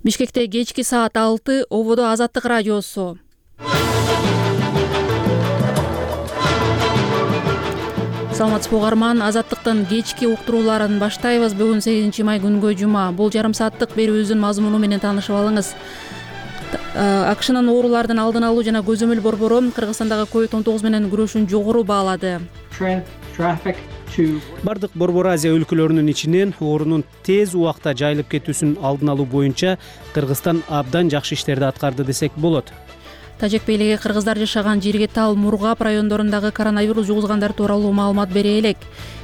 Бишкекте кечки саат 6 ободо Азаттык радиосу. Саламатсызбы угарман, Азаттыктын кечки уктурууларын баштайбыз. Бүгүн 8 май күнгө жума. Бул жарым сааттык берүүбүздүн мазмуну менен таанышып алыңыз. АКШнын оорулардын алдын алуу жана көзөмөл борбору Кыргызстандагы COVID-19 менен күрөшүн жогору баалады. Бардык Борбор Азия өлкөлөрүнүн ичинен оорунун тез убакта жайылып кетүүсүн алдын алуу боюнча Кыргызстан абдан жакшы иштерди аткарды десек болот. Тажик бийлиги кыргыздар жашаган жерге Тал, Мургап райондорундагы коронавирус жугузгандар тууралуу маалымат бере элек.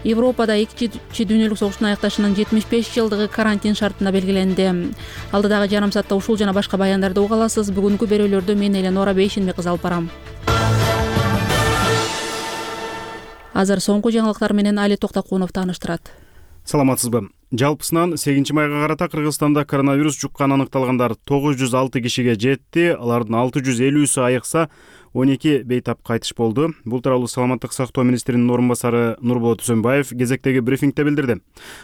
Европада Экинчи дүйнөлүк согуштун аякташынын 75 жылдыгы карантин шартына белгиленди. Алдыдагы жарым саатта ушул жана башка баяндарды уга аласыз. Бүгүнкү берүүлөрдү мен Эленора Бейшенби кызы алып барам. Азыр соңку жаңылыктар менен Али Токтокунов тааныштырат. Саламатсызбы. Жалпысынан 8 майга карата Кыргызстанда коронавирус жуккан аныкталгандар 906 кишиге жетти. Алардын 650сү айыкса, 12 бейтап кайтыш болду. Бул тууралуу Саламаттык сактоо министринин орун басары Нурболот Үсөнбаев кезектеги брифингде билдирди.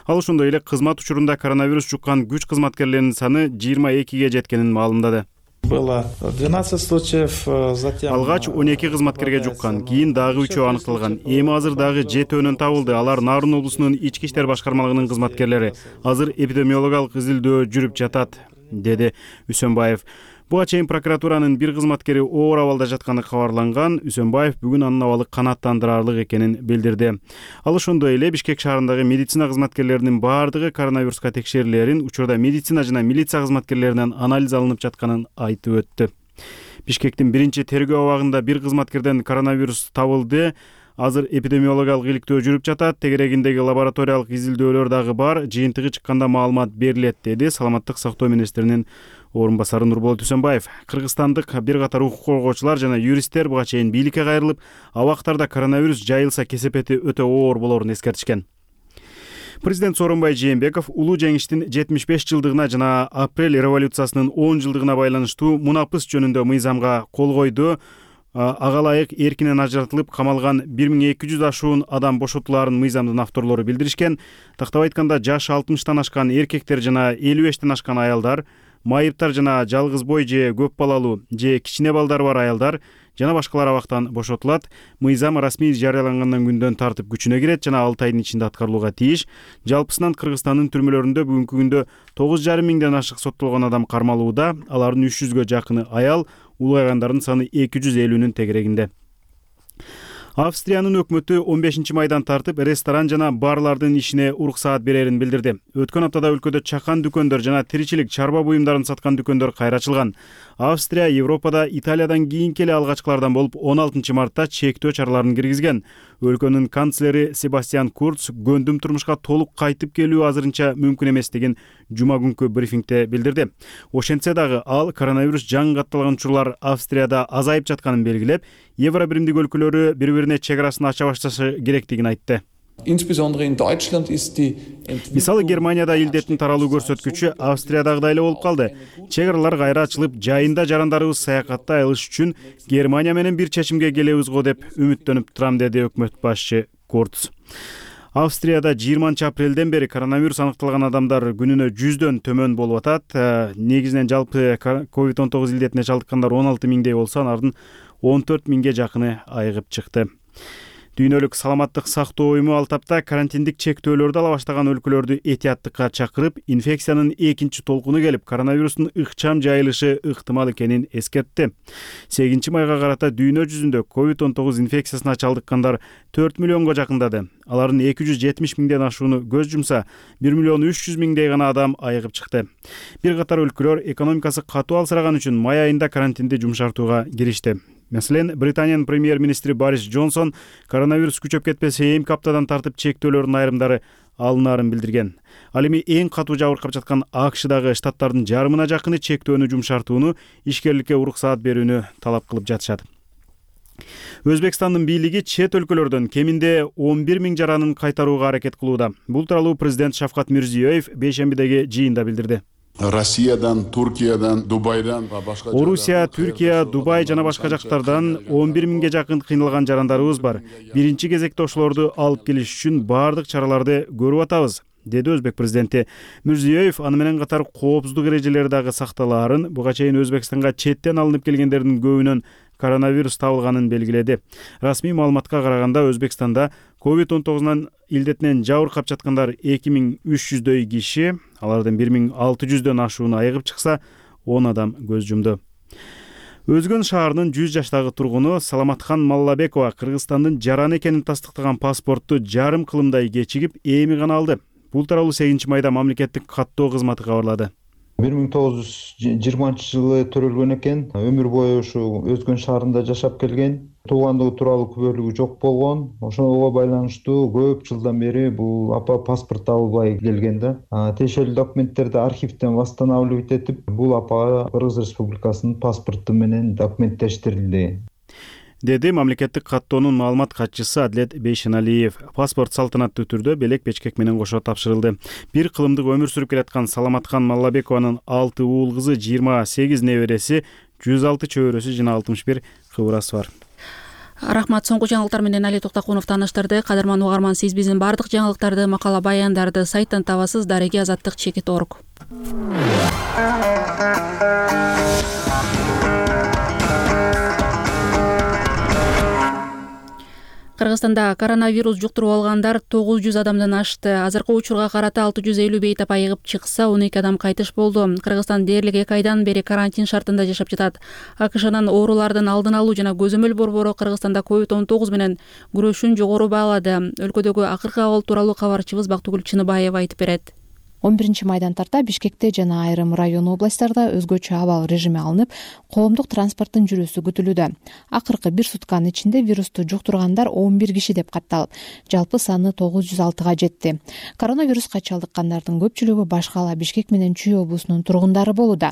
Ал ошондой эле кызмат учурунда коронавирус жуккан күч кызматкерлеринин саны 22ге жеткенин маалымдады. Было 12 случаев, затем Алгач 12 кызматкерге жуккан, кийин дагы 3 аныкталган. Эми азыр дагы 7 табылды. Алар Нарын облусунун ички иштер башкармалыгынын кызматкерлери. Азыр эпидемиологиялык изилдөө жүрүп жатат, деди Үсөнбаев. Буга чейин прокуратуранын бир кызматкери оор абалда жатканы кабарланган. Үсөнбаев бүгүн анын абалы канааттандырарлык экенин билдирди. Ал ошондой эле Бишкек шаарындагы медицина кызматкерлеринин баардыгы коронавируска текшерилерин, учурда медицина жана милиция кызматкерлеринен анализ алынып жатканын айтып өттү. Бишкектин биринчи тергөө абагында бир кызматкерден коронавирус табылды. Азыр эпидемиологиялык иликтөө жүрүп жатат. Тегерегиндеги лабораториялык изилдөөлөр дагы бар. Жыйынтыгы чыкканда маалымат берилет, деди Саламаттык сактоо министринин орун басары Нурболот Үсөнбаев. Кыргызстандык бир катар укук коргоочулар жана юристтер буга чейин бийликке кайрылып, абактарда коронавирус жайылса кесепети өтө оор болоорун эскертишкен. Президент Сооронбай Жээнбеков улуу жеңиштин 75 жылдыгына жана апрель революциясынын 10 жылдыгына байланыштуу мунапыс жөнүндө мыйзамга кол койду. Ага ылайык эркинен ажыратылып камалган 1200 ашуун адам бошотулаарын мыйзамдын авторлору билдиришкен. Тактап айтканда, жашы 60тан ашкан эркектер жана 55тен ашкан аялдар, майыптар жана жалгыз бой же көп балалуу же кичине балдары бар аялдар жана башкалар абактан бошотулат. Мыйзам расмий жарыялангандан күндөн тартып күчүнө кирет жана 6 айдын ичинде аткарылууга тийиш. Жалпысынан Кыргызстандын түрмөлөрүндө бүгүнкү күндө 9,5 миңден ашык соттолгон адам кармалууда. Алардын 300гө жакыны аял, улгайгандардын саны 250нүн тегерегинде. Австриянын өкмөтү 15 майдан тартып ресторан жана барлардын ишине уруксаат берерин билдирди. Өткөн аптада өлкөдө чакан дүкөндөр жана тиричилик чарба буюмдарын саткан дүкөндөр кайра ачылган. Австрия Европада Италиядан кийинки эле алгачкылардан болуп 16 мартта чектөө чараларын киргизген. Өлкөнүн канцлери Себастьян Курц көндүм турмушка толук кайтып келүү азырынча мүмкүн эместигин жума күнкү брифингде билдирди. Ошентсе дагы ал коронавирус жаңы катталган учурлар Австрияда азайып жатканын белгилеп, Евро биримдик өлкөлөрү бири-бирине чегарасын ача башташы керектигин айтты. Мисалы Германияда илдеттин таралуу көрсөткүчү Австриядагыдай эле болуп калды. Чегаралар кайра ачылып, жайында жарандарыбыз саякаттай алыш үчүн Германия менен бир чечимге келебиз го деп үмүттөнүп турам, деди өкмөт башчы Курц. Австрияда 20 апрелден бери коронавирус аныкталган адамдар күнүнө 100дөн төмөн болуп атат. Негизинен жалпы COVID-19 илдетине чалдыккандар 16 миңдей болсо, алардын 14 миңге жакыны айыгып чыкты. Дүйнөлүк саламаттык сактоо уюму ал тапта карантиндик чектөөлөрдү ала баштаган өлкөлөрдү этияттыкка чакырып, инфекциянын экинчи толкуну келип, коронавирустун ыкчам жайылышы ыктымал экенин эскертти. 8 майга карата дүйнө жүзүндө COVID-19 инфекциясына чалдыккандар 4 миллионго жакындады. Алардын 270 миңден ашууну көз жумса, 1 миллион 300 миңдей гана адам айыгып чыкты. Бир катар өлкөлөр экономикасы катуу алсыраган үчүн май айында карантинди жумшартууга киришти. Маселен, Британиянын премьер-министри Борис Джонсон коронавирус күчөп кетпесе 2 аптадан тартып чектөөлөрдүн айрымдары алынаарын билдирген. Ал эми эң катуу жабыркап жаткан АКШдагы штаттардын жарымына жакыны чектөөнү жумшартууну, ишкерликке уруксаат берүүнү талап кылып жатышат. Өзбекстандын бийлиги чет өлкөлөрдөн кеминде 11 миң жаранын кайтарууга аракет кылууда. Бул тууралуу президент Шавкат Мирзиёев бейшембидеги жыйында билдирди. Россиядан, Туркиядан, Дубайдан, Орусия, Түркия, Дубай жана башка жактардан 11 миңге жакын кыйналган жарандарыбыз бар. Биринчи кезекте ошолорду алып келиш үчүн баардык чараларды көрүп атабыз. деди Өзбек президенти. Мирзиёев аны менен катар коопсуздук эрежелери дагы сакталаарын, буга чейин Өзбекстанга четтен алынып келгендердин көбүнөн коронавирус табылганын белгиледи. Расмий маалыматка караганда Өзбекстанда COVID-19 илдетинен жабыркап жаткандар 2300дөй киши, алардын 1600дөн ашууну айыгып чыкса, 10 адам көз жумду. Өзгөн шаарынын 100 жаштагы тургуну Саламатхан Маллабекова Кыргызстандын жаран экенин тастыктаган паспортту жарым кылымдай кечигип, эми гана алды. Бул тууралуу 8 майда мамлекеттик каттоо кызматы кабарлады. 1920-жылы төрөлгөн экен. Өмүр бою ушу Өзгөн шаарында жашап келген. Туугандыгы тууралуу күбөлүгү жок болгон. Ошого байланыштуу көп жылдан бери бул апа паспорт табылбай келген да. Тиешелүү документтерди архивден восстанавливать этип, бул апага Кыргыз Республикасынын паспорту менен документтештирилди, деди мамлекеттик каттоонун маалымат катчысы Адлет Бейшеналиев. Паспорт салтанаттуу түрдө белек печкек менен кошо тапшырылды. Бир кылымдык өмүр сүрүп келаткан Саламатхан Маллабекованын 6 уул кызы, 28 небереси, 106 чөбөрөсү жана 61 кыбырасы бар. Рахмат. Соңку жаңылыктар менен Али Токтакунов тааныштырды. Кадырман угарман, сиз биздин бардык жаңылыктарды, макала баяндарды сайттан табасыз. Дареги Азаттык _org. Кыргызстанда коронавирус жуктуруп алгандар 900 адамдан ашты. Азыркы учурга карата 650 бейтап айыгып чыкса, 12 адам кайтыш болду. Кыргызстан дээрлик 2 айдан бери карантин шартында жашап жатат. АКШнын оорулардын алдын алуу жана көзөмөл борбору Кыргызстанда COVID-19 менен күрөшүүн жогору баалады. Өлкөдөгү акыркы абал тууралуу кабарчыбыз Бактыгүл Чыныбаева айтып берет. 11 майдан тарта Бишкекте жана айрым район областтарда өзгөчө абал режими алынып, коомдук транспорттун жүрүүсү күтүлүүдө. Акыркы 1 сутканын ичинде вирусту жуктургандар 11 киши деп катталып, жалпы саны 906га жетти. Коронавируска чалдыккандардын көпчүлүгү Башкала, Бишкек менен Чүй облусунун тургундары болууда.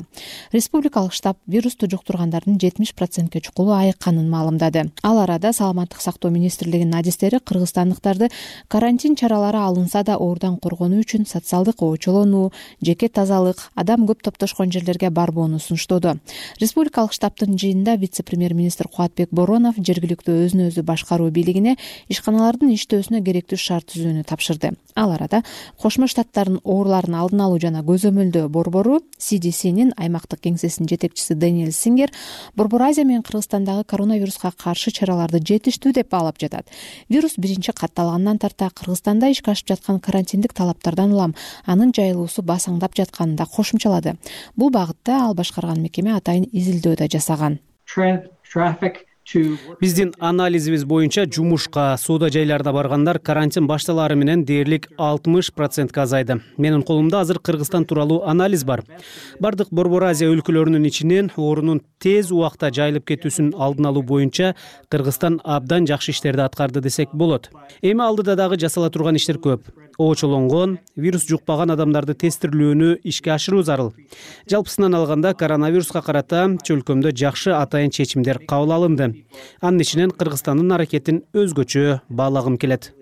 Республикалык штаб вирусту жуктургандардын 70%ке чукулу айыкканын маалымдады. Ал арада Саламаттык сактоо министрлигинин адистери кыргызстандыктарды карантин чаралары алынса да оорудан коргонуу үчүн социалдык чолонуу, жеке тазалык, адам көп топтошкон жерлерге барбоону сунуштоду. Республикалык штабтын жыйынында вице-премьер-министр Кубатбек Боронов жергиликтүү өзүн өзү башкаруу бийлигине ишканалардын иштөөсүнө керектүү шарт түзүүнү тапшырды. Ал арада Кошмо Штаттардын оорулардын алдын алуу жана көзөмөлдөө борбору CDC'нин аймактык кеңсесинин жетекчиси Дэниэл Сингер Борбор Азия менен Кыргызстандагы коронавируска каршы чараларды жетиштүү деп баалап жатат. Вирус биринчи катталгандан тарта Кыргызстанда ишке ашып жаткан карантиндик талаптардан улам анын жайылуусу басаңдап жатканын да кошумчалады. Бул багытта ал башкарган мекеме атайын изилдөө да жасаган. Биздин анализибиз боюнча жумушка, соода жайларда баргандар карантин башталары менен дээрлик 60% азайды. Менин колумда азыр Кыргызстан тууралуу анализ бар. Бардык Борбор Азия өлкөлөрүнүн ичинен оорунун тез убакта жайылып кетүүсүн алдын алуу боюнча Кыргызстан абдан жакшы иштерди аткарды десек болот. Эми алдыда дагы жасала турган иштер көп. Оочолонгон, вирус жукпаган адамдарды тестирлөөнү ишке ашыруу зарыл. Жалпысынан алганда коронавируска карата өлкөмдө жакшы атайын чечимдер кабыл алынды. Анын ичинен Кыргызстандын аракетин өзгөчө баалагым келет.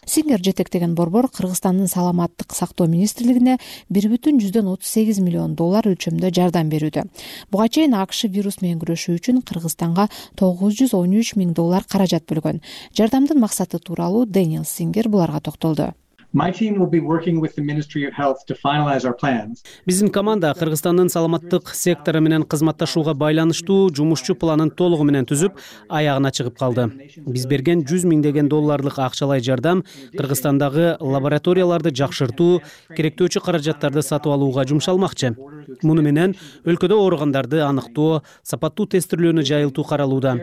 Сингер жетектеген борбор Кыргызстандын саламаттык сактоо министрлигине $1,38 миллион өлчөмдө жардам берүүдө. Буга чейин АКШ вирус менен күрөшүү үчүн Кыргызстанга $913 миң каражат бөлгөн. Жардамдын максаты тууралуу Дэниэл Сингер буларга токтолду. Биздин команда Кыргызстандын саламаттык сектору менен кызматташууга байланыштуу жумушчу планын толугу менен түзүп, аягына чыгып калды. Биз берген $100 миңдег акчалай жардам Кыргызстандагы лабораторияларды жакшыртуу, керектөөчү каражаттарды сатып алууга жумшалмакчы. Муну менен өлкөдө ооругандарды аныктоо, сапаттуу тестирлөөнү жайылтуу каралууда.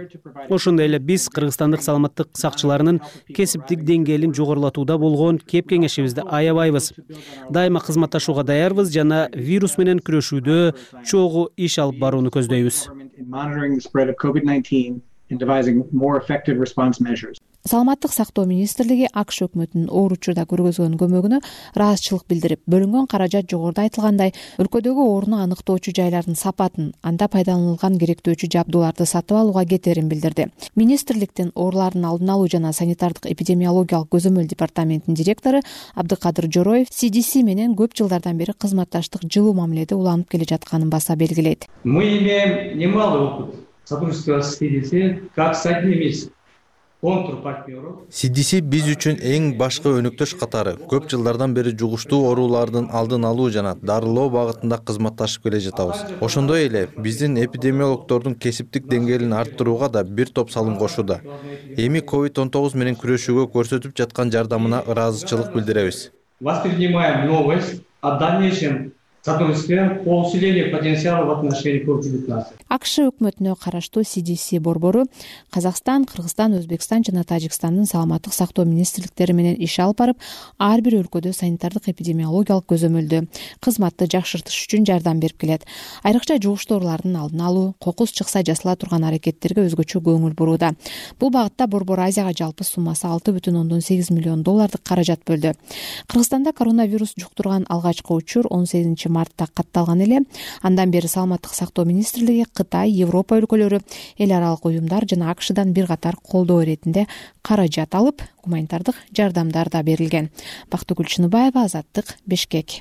Ошондой эле биз Кыргызстандык саламаттык сакчыларынын кесиптик деңгээлин жогорулатууда болгон кеңешибизди аябайбыз. Дайыма кызматташууга даярбыз жана вирус менен күрөшүүдө чогуу иш алып барууну көздөйбүз. Саламаттык сактоо министрлиги АКШ өкмөтүнүн ооручурда көргөзгөн көмөгүнө ыраазычылык билдирип, бөлүнгөн каражат жогоруда айтылгандай өлкөдөгү ооруну аныктоочу жайлардын сапатын, анда пайдаланылган керектөөчү жабдууларды сатып алууга кетерин билдирди. Министрликтин оорулардын алдын алуу жана санитардык эпидемиологиялык көзөмөл департаментинин директору Абдыкадыр Жороев CDC менен көп жылдардан бери кызматташтык жылуу мамиледе уланып келе жатканын баса белгилейт. Мы имеем немалый опыт сотрудничества с CDC как с одним из CDC биз үчүн эң башкы өнөктөш катары. Көп жылдардан бери жугуштуу оорулардын алдын алуу жана дарылоо багытында кызматташып келе жатабыз. Ошондой эле биздин эпидемиологдордун кесиптик деңгээлин арттырууга да бир топ салым кошууда. Эми COVID-19 менен күрөшүүгө көрсөтүп жаткан жардамына ыраазычылык билдиребиз. Воспринимаем новость о дальнейшем сотрудничестве по усилению потенциала в отношении COVID-19. АКШ өкмөтүнө караштуу CDC борбору Казакстан, Кыргызстан, Өзбекстан жана Тажикстандын саламаттык сактоо министрликтери менен иш алып барып, ар бир өлкөдө санитардык эпидемиологиялык көзөмөлдү, кызматты жакшыртыш үчүн жардам берип келет. Айрыкча жугуштуу оорулардын алдын алуу, кокус чыкса жасала турган аракеттерге өзгөчө көңүл бурууда. Бул багытта борбор Азияга жалпы суммасы $6,8 миллион каражат бөлдү. Кыргызстанда коронавирус жуктурган алгачкы учур 18 мартта катталган эле. Андан бери саламаттык сактоо министрлиги Кытай, Европа өлкөлөрү, эл аралык уюмдар жана АКШдан бир катар колдоо иретинде каражат алып, гуманитардык жардамдар да берилген. Бактыгүл Чыныбаева, Азаттык, Бишкек.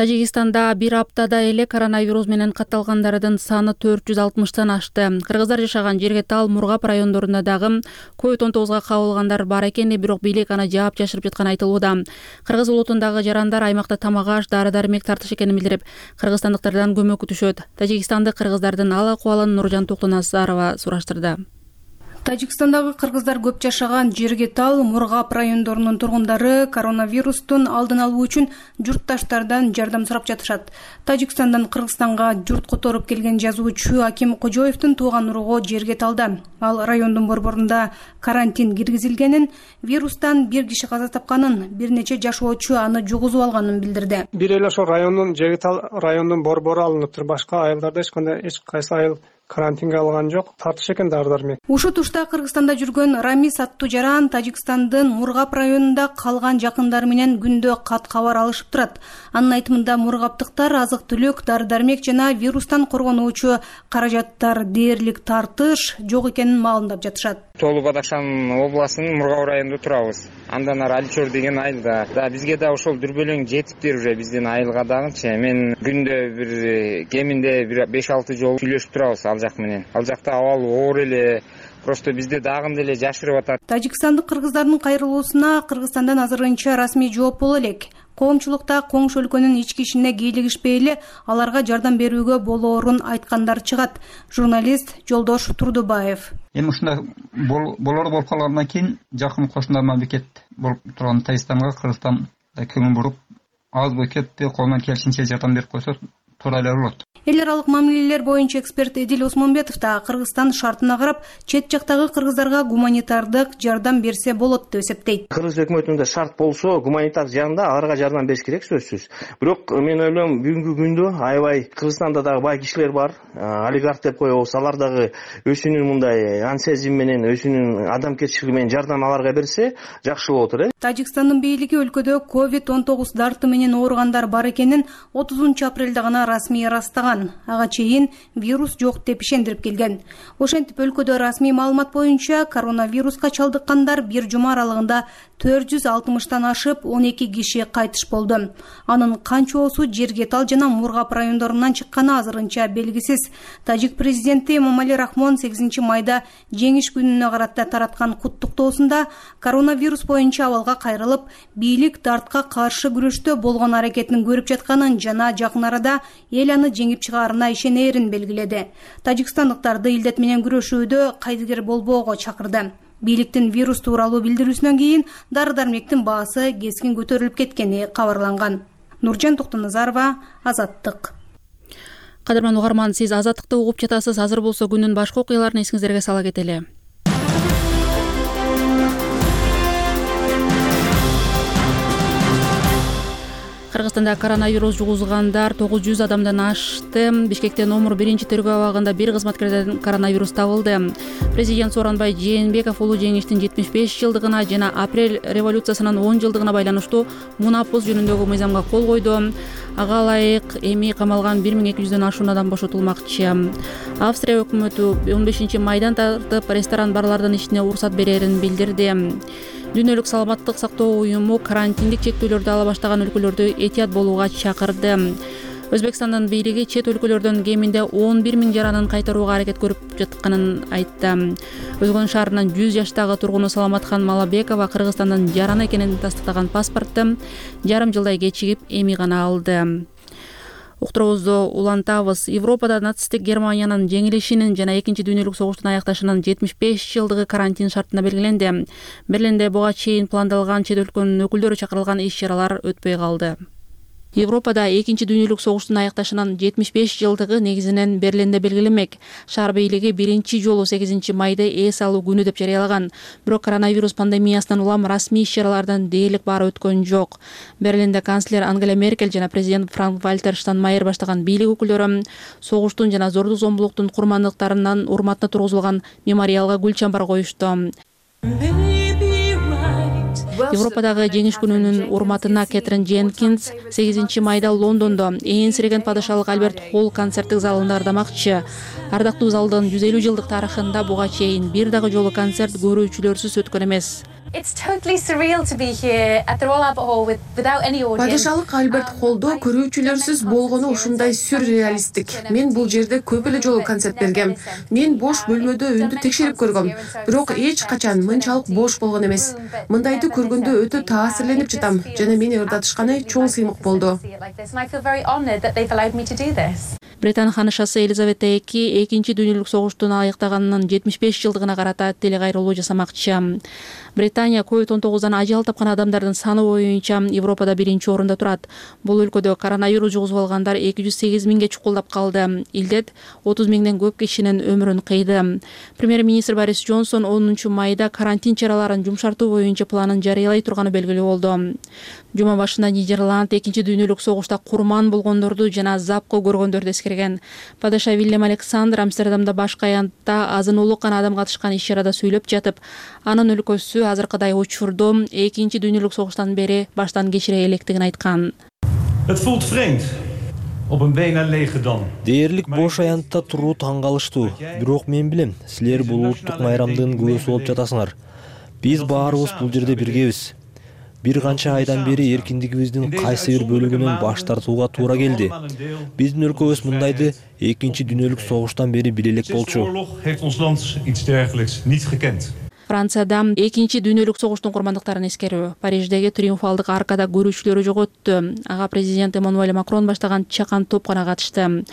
Тажикстанда бир аптада эле коронавирус менен катталгандардын саны 460тан ашты. Кыргыздар жашаган Жергетал, Мургап райондорунда дагы COVID-19 кабылгандар бар экен, бирок бийлик аны жаап жашырып жатканы айтылууда. Кыргыз улутундагы жарандар аймакта тамак-аш, дары-дармек тартыш экенин билдирип, кыргызстандыктардан көмөк күтүшөт. Тажикстандык кыргыздардын ал акыбалын Нуржан Токтоназарова сураштырды. Тажикстандагы кыргыздар көп жашаган Жергетал, Мургап райондорунун тургундары коронавирустун алдын алуу үчүн журтташтардан жардам сурап жатышат. Тажикстандан Кыргызстанга журт которуп келген жазуучу Аким Кожоевдун тууган уругу Жергеталда. Ал райондун борборунда карантин киргизилгенин, вирустан бир киши каза тапканын, бир нече жашоочу аны жугузуп алганын билдирди. Бир эле ошо райондун Жергетал райондун борбору алыныптыр. Башка айылдарда эч кайсы айыл карантинге алган жок. Тартыш экен дары-дармек. Ушул тушта Кыргызстанда жүргөн Рамис аттуу жаран Тажикстандын Мургап районунда калган жакындары менен күндө кат кабар алышып турат. Анын айтымында мургаптыктар азык-түлүк, дары-дармек жана вирустан коргонуучу каражаттар дээрлик тартыш жок экенин маалымдап жатышат. Толу Бадахшан областынын Мургап районунда турабыз. Андан ары Алчор деген айылда. Бизге да ошол дүрбөлөң жетиптир уже биздин айылга дагычы. Мен күндө бир кеминде 5-6 жолу сүйлөшүп турабыз ал жак менен. Ал жакта абал оор эле. Просто бизде дагы деле жашырып атат. Тажикстандык кыргыздардын кайрылуусуна Кыргызстандан азырынча расмий жооп боло элек. Коомчулукта коңшу өлкөнүн ички ишине кийлигишпей эле аларга жардам берүүгө болоорун айткандар чыгат. Журналист Жолдош Турдубаев. Эми ушундай болуп калгандан кийин жакын кошуна мамлекет болуп турган Тажикстанга Кыргызстан көңүл буруп, аз бекетти колунан келишинче жардам берип койсо туура эле болот. Эл аралык мамилелер боюнча эксперт Эдил Осмонбетов да Кыргызстан шартына карап, чет жактагы кыргыздарга гуманитардык жардам берсе болот деп эсептейт. Кыргыз өкмөтүндө шарт болсо, гуманитардык жагында аларга жардам бериш керек сөзсүз. Бирок мен ойлойм, бүгүнкү күндө аябай Кыргызстанда дагы бай кишилер бар, олигарх деп коебуз, алар дагы өзүнүн мындай ансезим менен, өзүнүн адамгерчилиги менен жардам аларга берсе, жакшы болот эле. Тажикстандын бийлиги өлкөдө COVID-19 дарты менен ооругандар бар экенин 30 апрелде гана расмий ырастаган. Ага чейин вирус жок деп ишендирип келген. Ошентип өлкөдө расмий маалымат боюнча коронавируска чалдыккандар бир жума аралыгында 460тан ашып 12 киши кайтыш болду. Анын канчоосу Жергетал жана Мургап райондорунан чыкканы азырынча белгисиз. Тажик президенти Эмомали Рахмон 8 майда жеңиш күнүнө карата тараткан куттуктоосунда коронавирус боюнча абалга кайрылып, бийлик дартка каршы күрөштө болгон аракетин көрүп жатканын жана жакын арада эл аны жеңип чыгаарына ишенерин белгиледи. Тажикстандыктарды илдет менен күрөшүүдө кайдыгер болбоого чакырды. Бийликтин вирус тууралуу билдирүүсүнөн кийин дары-дармектин баасы кескин көтөрүлүп кеткени кабарланган. Нуржан Токтоназарова, Азаттык. Кадырман угарман, сиз Азаттыкты угуп жатасыз. Азыр болсо күнүн башка окуяларын эсиңиздерге сала кетели. Кыргызстанда коронавирус жугузгандар 900 адамдан ашты. Бишкекте номер 1 тергөө абагында бир кызматкерден коронавирус табылды. Президент Сооронбай Жээнбеков улуу жеңиштин 75 жылдыгына жана апрель революциясынын 10 жылдыгына байланыштуу мунапуз жөнүндөгү мыйзамга кол койду. Ага ылайык эми камалган 1200дөн ашуун адам бошотулмакчы. Австрия өкмөтү 15 майдан тартып ресторан барлардын ишине уруксат берерин билдирди. Дүйнөлүк саламаттык сактоо уюму карантиндик чектөөлөрдү ала баштаган өлкөлөрдү этият болууга чакырды. Өзбекстандын бийлиги чет өлкөлөрдөн кеминде 11 000 жаранын кайтарууга аракет көрүп жатканын айтты. Өзгөн шаарынын 100 жаштагы тургуну Саламатхан Малабекова Кыргызстандын жараны экенин тастыктаган паспортты жарым жылдай кечигип эми гана алды. Уктуруубузду улантабыз. Европада нацисттик Германиянын жеңилишинин жана Экинчи дүйнөлүк согуштун аякташынын 75 жылдыгы карантин шартына белгиленди. Берлинде буга чейин пландалган чет өлкөнүн өкүлдөрү чакырылган иш-чаралар өтпөй калды. Европада Экинчи дүйнөлүк согуштун аякташынын 75 жылдыгы негизинен Берлинде белгиленмек. Шаар бийлиги биринчи жолу 8 майда эс алуу күнү деп жарыялаган. Бирок коронавирус пандемиясынан улам расмий иш-чаралардан дээрлик баары өткөн жок. Берлинде канцлер Ангела Меркель жана президент Франк-Вальтер Штайнмайер баштаган бийлик өкүлдөрү согуштун жана зордук-зомбулуктун курмандыктарынын урматына тургузулган мемориалга гүл чамбар коюшту. Европадагы жеңиш күнүнүн урматына Кэтрин Дженкинс 8 майда Лондондо энсиреген падышалык Альберт Холл концерттик залында ырдамакчы. Ардактуу залдын 150 жылдык тарыхында буга чейин бир дагы жолу концерт көрүүчүлөрсүз өткөн эмес. Падышалык Альберт Холлдо көрүүчүлөрсүз болгону ушундай сюрреалисттик. Мен бул жерде көп эле жолу концерт бергем. Мен бош бөлмөдө үндү текшерип көргөм, бирок эч качан мынчалык бош болгон эмес. Мындайды көргөндө өтө таасирленип жатам жана мени ырдатышканы чоң сыймык болду. Британ ханышасы Елизавета II Экинчи дүйнөлүк согуштун аяктаганынын 75 жылдыгына карата телекайрылуу жасамакчы. Британия COVID-19дан ажал тапкан адамдардын саны боюнча Европада биринчи орунда турат. Бул өлкөдө коронавирус жугузуп алгандар 208 000ге чукулдап калды. Илдет 30 000ден көп кишинин өмүрүн кыйды. Премьер-министр Борис Джонсон 10 майда карантин чараларын жумшартуу боюнча планын жарыялай турганы белгилүү болду. Жума башында Нидерланд Экинчи дүйнөлүк согушта курман болгондорду жана запкы көргөндөрдү эскерген. Падыша Вильям Александр Амстердамда башкы аянтта азын-улук гана адам катышкан иш-чарада сүйлөп жатып, анын өлкөсү азыркыдай учурду Экинчи дүйнөлүк согуштан бери баштан кечире электигин айткан. Дээрлик бош аянтта туруу таң калыштуу. Бирок мен билем, силер бул улуттук майрамдын күбөсү болуп жатасыңар. Биз баарыбыз бул жерде биргебиз. Бир канча айдан бери эркиндигибиздин кайсы бир бөлүгүнөн баш тартууга туура келди. Биздин өлкөбүз мындайды Экинчи дүйнөлүк согуштан бери биле элек болчу. Францияда Экинчи дүйнөлүк согуштун курмандыктарын эскерүү. Париждеги Триумфалдык аркада көрүүчүлөрү жок өттү. Ага президент Эммануэль Макрон баштаган чакан топ гана катышты.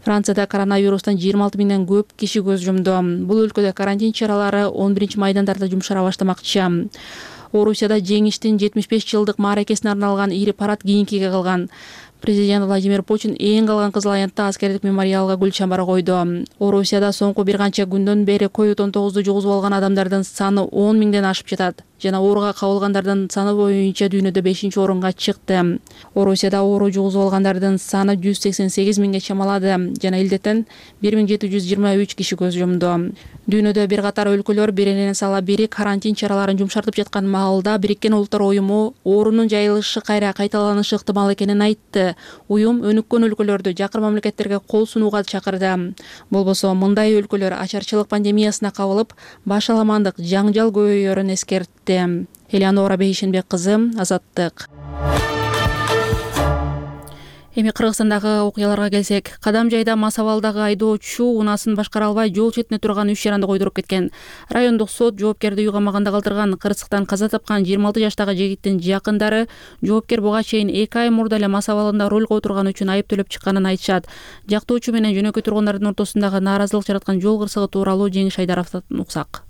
Францияда коронавирустан 26 000ден көп киши көз жумду. Бул өлкөдө карантин чаралары 11 майдан тарта жумшара баштамакчы. Орусияда жеңиштин 75 жылдык мааракесине арналган ири парад кийинкиге калган. Президент Владимир Путин эң калган Кызыл аянтта аскердик мемориалга гүл чамбар койду. Орусияда соңку бир канча күндөн бери COVID-19 жугузуп алган адамдардын саны 10 000ден ашып жатат жана ооруга кабылгандардын саны боюнча дүйнөдө 5-орунга чыкты. Орусияда оору жугузуп алгандардын саны 188 000ге чамалады жана илдеттен 1723 киши көз жумду. Дүйнөдө бир катар өлкөлөр биринен сала бири карантин чараларын жумшартып жаткан маалда Бириккен Улуттар уюму оорунун жайылышы кайра кайталанышы ыктымал экенин айтты. Уюм өнүккөн өлкөлөрдү жакыр мамлекеттерге кол сунууга чакырды. Болбосо мындай өлкөлөр ачарчылык пандемиясына кабылып, башаламандык жаңжал көбөйөрүн эскертти. Элеонора Бейшенбек кызы, Азаттык. Эми Кыргызстандагы окуяларга келсек, Кадам жайда мас абалдагы айдоочу унаасын башкара албай жол четине турган 3 жаранды койдуруп кеткен. Райондук сот жоопкерди үй камагында калтырган. Кырсыктан каза тапкан 26 жаштагы жигиттин жакындары жоопкер буга чейин 2 ай мурда эле мас абалында руль отурган үчүн айып төлөп чыкканын айтышат. Жактоочу менен жөнөкөй тургундардын ортосундагы нааразылык жараткан жол кырсыгы тууралуу Жеңиш Айдаровдон уксак.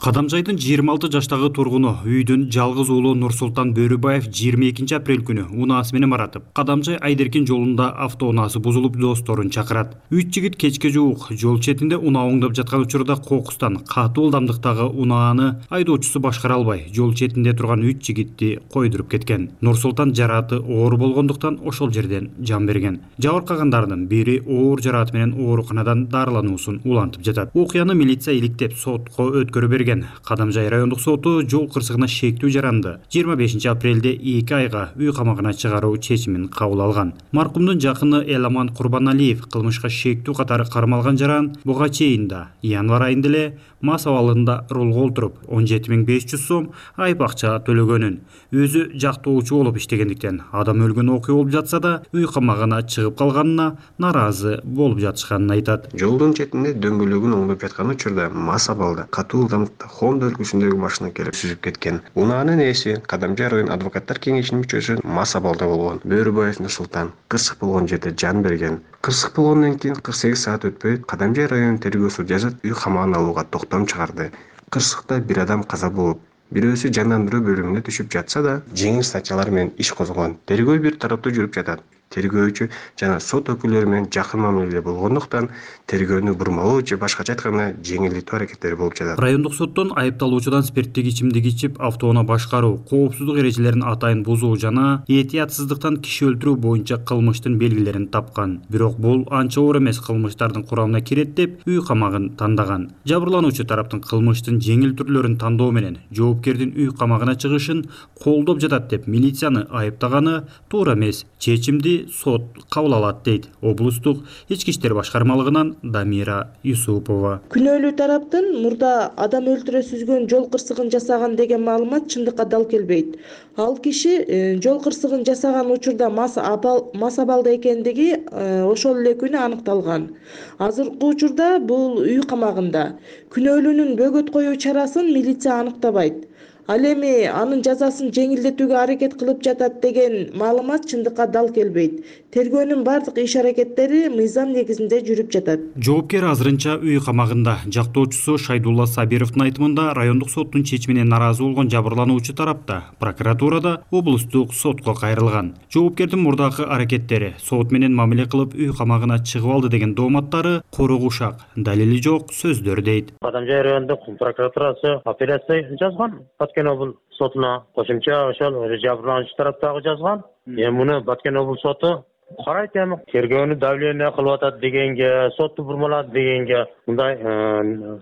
Кадамжайдын 26 жаштагы тургуну үйдүн жалгыз уулу Нурсултан Бөрүбаев 22 апрель күнү унаасы менен баратып, Кадамжай Айдеркин жолунда автоунаасы бузулуп досторун чакырат. 3 жигит кечке жуук жол четинде унаа оңдоп жаткан учурда кокустан катуу ылдамдыктагы унааны айдоочусу башкара албай, жол четинде турган 3 жигитти койдуруп кеткен. Нурсултан жарааты оор болгондуктан ошол жерден жан берген. Жабыркагандардын бири оор жарааты менен ооруканадан дарылануусун улантып жатат. Окуяны милиция иликтеп сотко өткөрүп берген. берген. Кадамжай райондук соту жол кырсыгына шектүү жаранды 25 апрелде 2 айга үй камагына чыгаруу чечимин кабыл алган. Маркумдун жакыны Эламан Курбаналиев кылмышка шектүү катары кармалган жаран буга чейин да январь айында эле мас абалында рулга олтуруп 17.500 сом айып акча төлөгөнүн, өзү жактоочу болуп иштегендиктен адам өлгөн окуя болуп жатса да үй камагына чыгып калганына наразы болуп жатышканын айтат. Жолдун четинде дөңгөлөгүн оңдоп жаткан учурда мас абалда катуу ылдамдыкта Honda өлкөсүндөгү машина келип сүзүп кеткен. Унаанын ээси Кадамжай район адвокаттар кеңешинин мүчөсү мас абалда болгон. Бөрүбаев Нурсултан кырсык болгон жерде жан берген. Кырсык болгондон кийин 48 саат өтпөй Кадамжай район тергөөсү жазып үй камагына алууга токтом чыгарды. Кырсыкта бир адам каза болуп, бирөөсү жандандыруу бөлүмүнө түшүп жатса да, жеңил статьялар менен иш козголгон. Тергөө бир тараптуу жүрүп жатат. Тергөөчү жана сот өкүлдөрү менен жакын мамиледе болгондуктан тергөөнү бурмалоо же башкача айтканда жеңилдетүү аракеттери болуп жатат. Райондук соттон айыпталуучудан спирттик ичимдик ичип автоунаа башкаруу, коопсуздук эрежелерин атайын бузуу жана этиятсыздыктан киши өлтүрүү боюнча кылмыштын белгилерин тапкан. Бирок бул анча оор эмес кылмыштардын курамына кирет деп үй камагын тандаган. Жабырлануучу тараптын кылмыштын жеңил түрлөрүн тандоо менен жоопкердин үй камагына чыгышын колдоп жатат деп милицияны айыптаганы туура эмес. Чечимди сот кабыл алат дейт облустук ички иштер башкармалыгынан Дамира Юсупова. Күнөөлүү тараптын мурда адам өлтүрө сүзгөн жол кырсыгын жасаган деген маалымат чындыкка дал келбейт. Ал киши жол кырсыгын жасаган учурда мас абалда экендиги ошол эле күнү аныкталган. Азыркы учурда бул үй камагында. Күнөөлүүнүн бөгөт коюу чарасын милиция аныктабайт. Ал эми анын жазасын жеңилдетүүгө аракет кылып жатат деген маалымат чындыкка дал келбейт. Тергөөнүн бардык иш аракеттери мыйзам негизинде жүрүп жатат. Жоопкер азырынча үй камагында. Жактоочусу Шайдулла Сабировдун айтымында райондук соттун чечимине наразы болгон жабырлануучу тарапта прокуратурада облустук сотко кайрылган. Жоопкердин мурдакы аракеттери сот менен мамиле кылып үй камагына чыгып алды деген дооматтары кургушак, далили жок сөздөр дейт. Кадамжай райондук прокуратурасы апелляция жазган. Баткен облус сотуна кошумча ошол жабырлануучу тараптагы жазган. Муну Баткен облус соту карайт эми. Тергөөнү давление кылып атат дегенге, сотту бурмалат дегенге мындай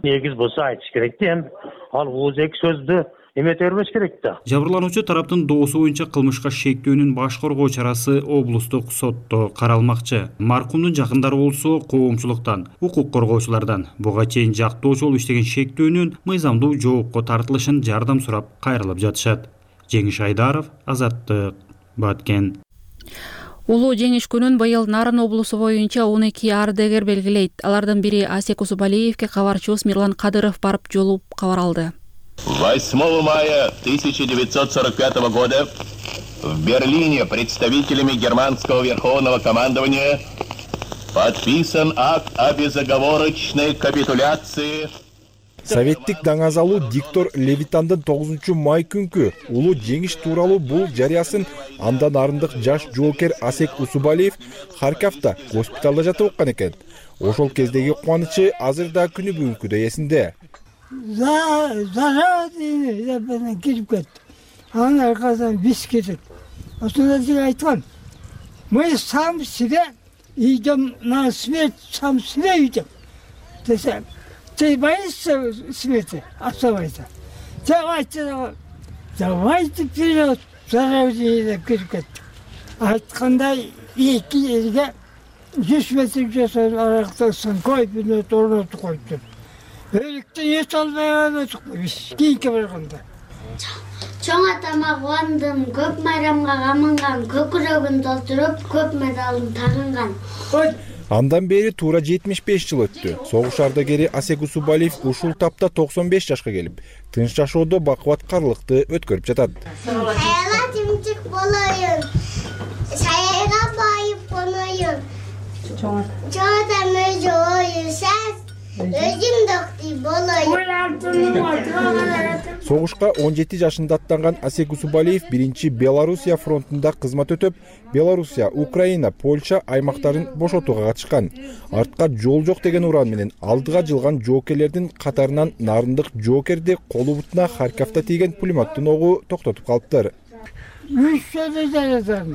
негиз болсо айтыш керек да эми. Ал ооз-эки сөздү эмете бербеш керек да. Жабырлануучу тараптын доосу боюнча кылмышка шектүүнүн баш коргоо чарасы облустук сотто каралмакчы. Маркумдун жакындары болсо коомчулуктан, укук коргоочулардан буга чейин жактоочу болуп иштеген шектүүнүн мыйзамдуу жоопко тартылышын жардам сурап кайрылып жатышат. Жеңиш Айдаров, Азаттык, Баткен. Улуу жеңиш күнүн быйыл Нарын облусу боюнча 12 ардагер белгилейт. Алардын бири Асек Усубалиевке кабарчыбыз Мирлан Кадыров барып жолугуп кабар алды. 8 мая 1945 года в Берлине представителями германского верховного командования подписан акт о безоговорочной капитуляции. Советтик даңазалуу диктор Левитандын 9 май күнкү улуу жеңиш тууралуу бул жарыясын андан арындык жаш жоокер Асек Усубалиев Харьковда госпиталда жатып оккан экен. Ошол кездеги кубанычы азыр да күнү бүгүнкүдөй эсинде. Зажат кирип кетти. Анын аркасынан биз кетет. Ошондо сиз айткан. Мы сам себе идем на смерть, сам себе идем. Десе, ты боишься смерти? Оставайся. Давайте вперед. Заражение кирип кетти. Айткандай 2 жерге 100 метр жасап арактасын койпүнөт орнотуп коюптур. Өлүктү эс албай алып кийинке барганда. Чоң атама кубандым, көп майрамга камынган, көкүрөгүн толтуруп, көп медалын тагынган. Андан бери туура 75 жыл өттү. Согуш ардагери Асек Усубалиев ушул тапта 95 жашка келип, тынч жашоодо бакубаткарлыкты өткөрүп жатат. Саяга тимчик болоюн. Саяга байып коноюн. Чоң атама жойу сез. Согушка 17 жашында аттанган Асек Усубалиев биринчи Белоруссия фронтунда кызмат өтөп, Белоруссия, Украина, Польша аймактарын бошотууга катышкан. Артка жол жок деген уран менен алдыга жылган жоокерлердин катарынан нарындык жоокерди колу бутуна Харьковда тийген пулеметтин огу токтотуп калыптыр. 3 жолу жаратам.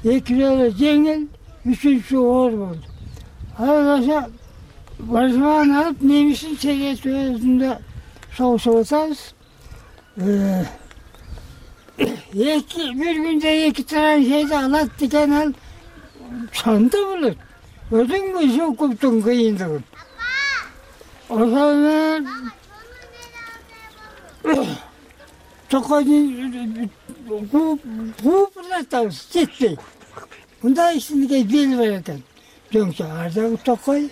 2 жолу жеңил, 3-үчү оор болду. Алгаша Баржман алып немисин сегет өзүндө согушуп атабыз. Bir günde 2 tane şeyde alat diken al, çanta bulur. Ödün mü şu kuptun kıyındığın. O zaman Tokay'ın kuplatavız, ciddi. Bunda işini bil verirken. Çünkü arada Tokay,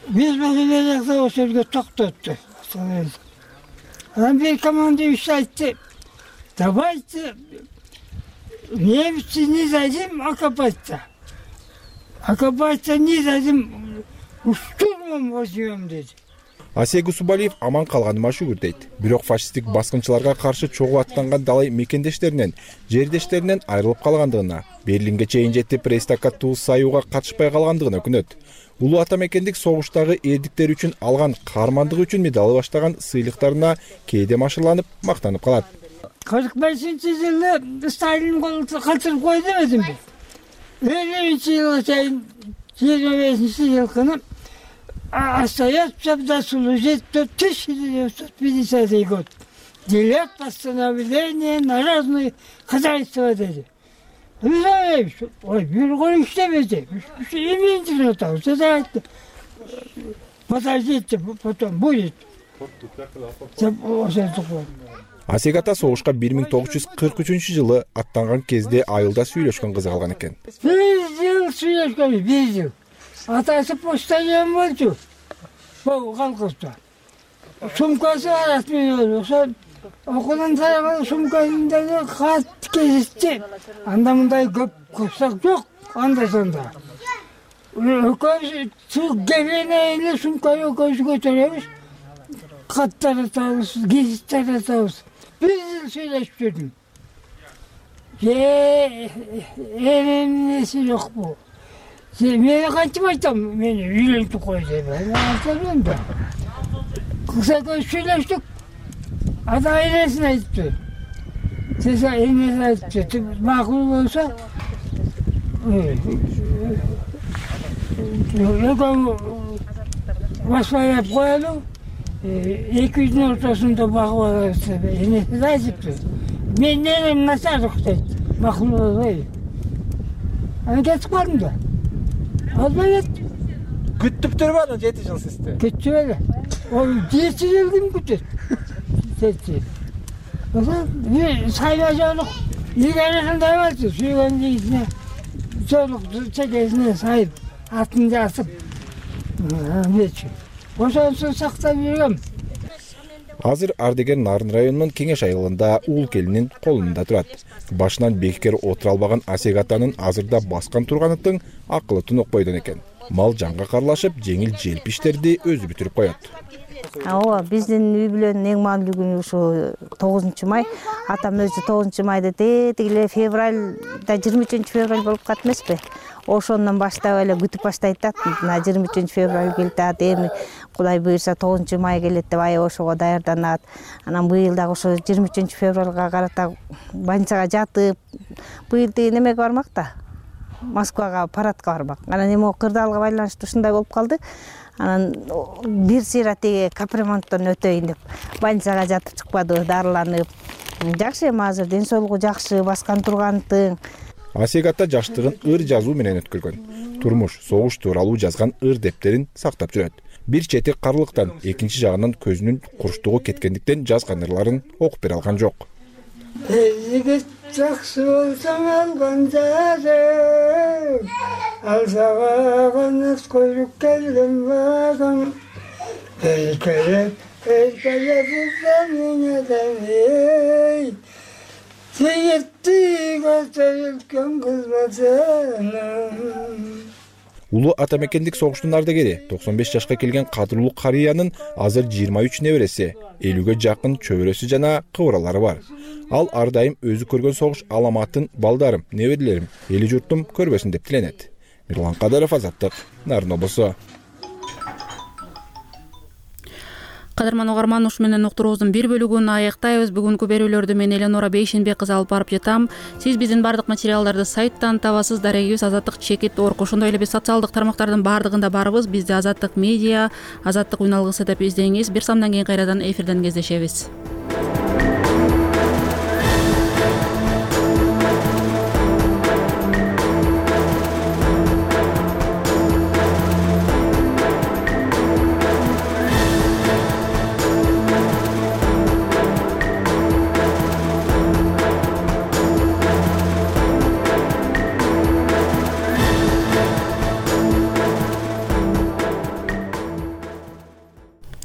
biz bakılarak o sözge tok tuttu. Bir komanda işletti. Давайте немцы не дадим окопаться. Окопаться не дадим, штурмом возьмем dedi. Асек Усубалиев аман калганыма шүгүр дейт. Бирок фашисттик баскынчыларга каршы чогуу аттанган далай мекендештеринен, жердештеринен айрылып калгандыгына, Берлинге чейин жетип Рейхстагга саюуга катышпай калгандыгына өкүнөт. Улуу ата мекендик согуштагы эрдиктери үчүн алган каармандыгы үчүн медалы баштаган сыйлыктарына кээде машырланып, мактанып калат. 45-жылы Сталин калтырып койду демедим бе? 50-жылга чейин 25-жылы күнү остается до служить до 1950 год. Делят постановление на разные хозяйства dedi. Ой, bir gün işlemedi. İmindin отал. Подождите, потом будет. Асек ата согушка 1943-жылы аттанган кезде айылда сүйлөшкөн кызы калган экен. 1 жыл сүйлөшкөн, 1 жыл. Атасы почтальон болчу. Бул колхозда. Сумкасы расмий ошо окудан тараган сумкасында кат кезишти. Анда мындай көп курсак жок, анда сонда. Көз гебене сумканы көз көтөрөбүз. Каттар атабыз, гезиттер атабыз. 1 жыл сүйлөшүп жүрдүм. Эмнеси жок бул. Мен кантип айтам, мени үйлөнтүп кой деп. Айтам да. Кыса көз сүйлөштүк. Ата энесин айтты. Сеса энеси айтты. Макул болсо, баспайлап коелу. 2 күнүн ортосунда багып алабыз. Энеси айтыптыр. Мен ненем начарлык дейт. Макул болбой. Аны кетип калдым да. Албай кеттим. Күттүп турбадың 7 жыл сизди? Күттүп эле. Ол 7 жыл ким күтөт? 7 жыл. Ошо сайга жолук ийгересинде болчу. Сүйгөн жигитине жолук чекесине сайып, атын жасып. Нечи. Ошонсу сактап жүргөм. Азыр Ардегер Нарын районунун Кеңеш айылында ул келинин колунда турат. Башынан бекер отура албаган Асек атанын азырда баскан турганытын акылы тунук бойдон экен. Мал жанга карлашып, жеңил желп иштерди өзү бүтүрүп коет. Ооба, биздин үй бүлөнүн эң маанилүү күнү ушу 9-май. Атам өзү 9-майда тегиле февралда 23-февраль болуп кат эмеспи? Ошондон баштап эле күтүп баштайт да. 23-февраль келет, эми Кудай буйрса 9-май келет деп аябай ошого даярданат. Анан быйыл дагы ошо 23-февралга карата больницага жатып, быйыл деген эмеге бармак да. Москвага парадка бармак. Анан эми кырдаалга байланыштуу ушундай болуп калды. Анан бир сыйра теге капремонттон өтөйүн деп больницага жатып чыкпады, дарыланып. Жакшы эми азыр ден соолугу жакшы, баскан тургантын. Асек ата жаштыгын ыр жазуу менен өткөргөн. Турмуш, согуш тууралуу жазган ыр дептерин сактап жүрөт. Бир чети карлыктан, экинчи жагынан көзүнүн куруштугу кеткендиктен жазган ырларын окуп бере алган жок. Жакшы болсоң алган жарым, алсага канат койруп келген багым. Эркелеп үзгөн эй, сүйүттү көтөрүлгөн кызматым. Улуу ата мекендик согуштун ардагери 95 жашка келген кадырлуу карыянын азыр 23 небереси, 50ге жакын чөбөрөсү жана кыбыралары бар. Ал ар дайым өзү көргөн согуш аламатын балдарым, неберелерим, эли журтум көрбөсүн деп тиленет. Мирлан Кадыров, Азаттык, Нарын облусу. Кадырман угарман, ушу менен уктуруубуздун бир бөлүгүн аяктайбыз. Бүгүнкү берүүлөрдү мен Эленора Бейшенбек кызы алып барып жатам. Сиз биздин бардык материалдарды сайттан табасыз. Дарегибиз Азаттык чекит орг. Ошондой эле биз социалдык тармактардын бардыгында барбыз. Бизди Азаттык медиа, Азаттык үн алгысы деп издеңиз. Бир самдан кийин кайрадан эфирден кездешебиз.